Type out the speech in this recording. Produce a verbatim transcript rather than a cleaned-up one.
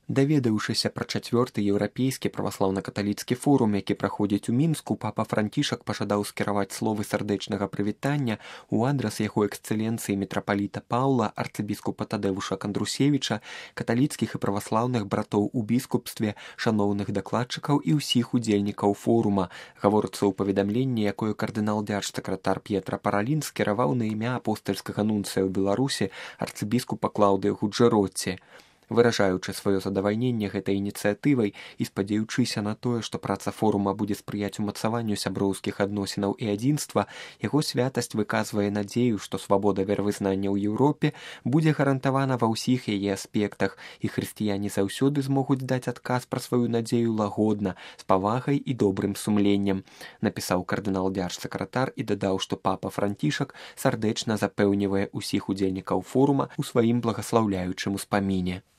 Даведаўшыся пра чацвёрты еўрапейскі праваслаўна-каталіцкі форум, які праходзіць у Мінску, папа Францішак пажадаў скіраваць словы сардэчнага прывітання ў адрас яго эксцэленцыі мітрапаліта Паўла, арцыбіскупа Тадэвуша Кандрусевіча, каталіцкіх і праваслаўных братоў у біскупстве, шаноўных дакладчыкаў і ўсіх удзельнікаў форума. Гаворыцца ў паведамленні, якое кардынал дзярж-сакратар П'етра Паралін скіраваў на імя апостальскага нунцыя ў Беларусі арцыбіскупа Клаўдыя Гуджэротці. Выражаючы сваё задавальненне гэтай ініцыятывай і спадзяючыся на тое, што праца форума будзе спрыяць умацаванню сяброўскіх адносінаў і адзінства, яго святасць выказвае надзею, што свабода веравызнання ў Еўропе будзе гарантавана ва ўсіх яе аспектах, і хрысціяне заўсёды змогуць даць адказ пра сваю надзею лагодна, з павагай і добрым сумленнем, напісаў кардынал дзярж-сакратар і дадаў, што папа Францішак сардэчна запэўнівае ўсіх удзельнікаў форума ў сваім благаслаўляючым успаміне.